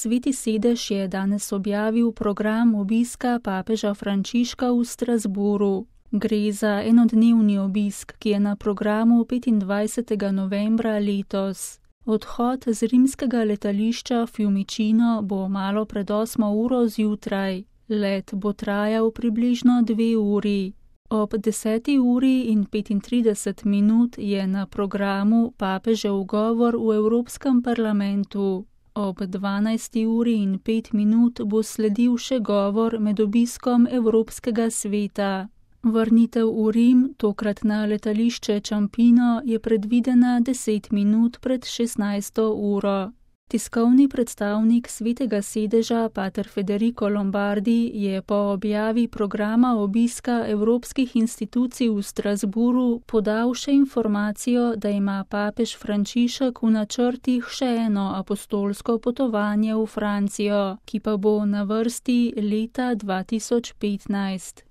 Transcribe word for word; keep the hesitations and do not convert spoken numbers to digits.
Sveti sedež je danes objavil program obiska papeža Frančiška v Strasbourgu. Gre za enodnevni obisk, ki je na programu petindvajsetega novembra letos. Odhod z rimskega letališča Fiumicino bo malo pred osmo uro zjutraj. Let bo trajal približno dve uri. Ob deseti uri in petintrideset minut je na programu papežev govor v Evropskem parlamentu. Ob dvanajsti uri in pet minut bo sledil še govor med obiskom Evropskega sveta. Vrnitev v Rim, tokrat na letališče Ciampino, je predvidena deset minut pred šestnajsto uro. Tiskovni predstavnik Svetega sedeža, pater Federico Lombardi, je po objavi programa obiska evropskih institucij v Strasbourgu podal še informacijo, da ima papež Frančišek v načrtih še eno apostolsko potovanje v Francijo, ki pa bo na vrsti leta dva tisoč petnajst.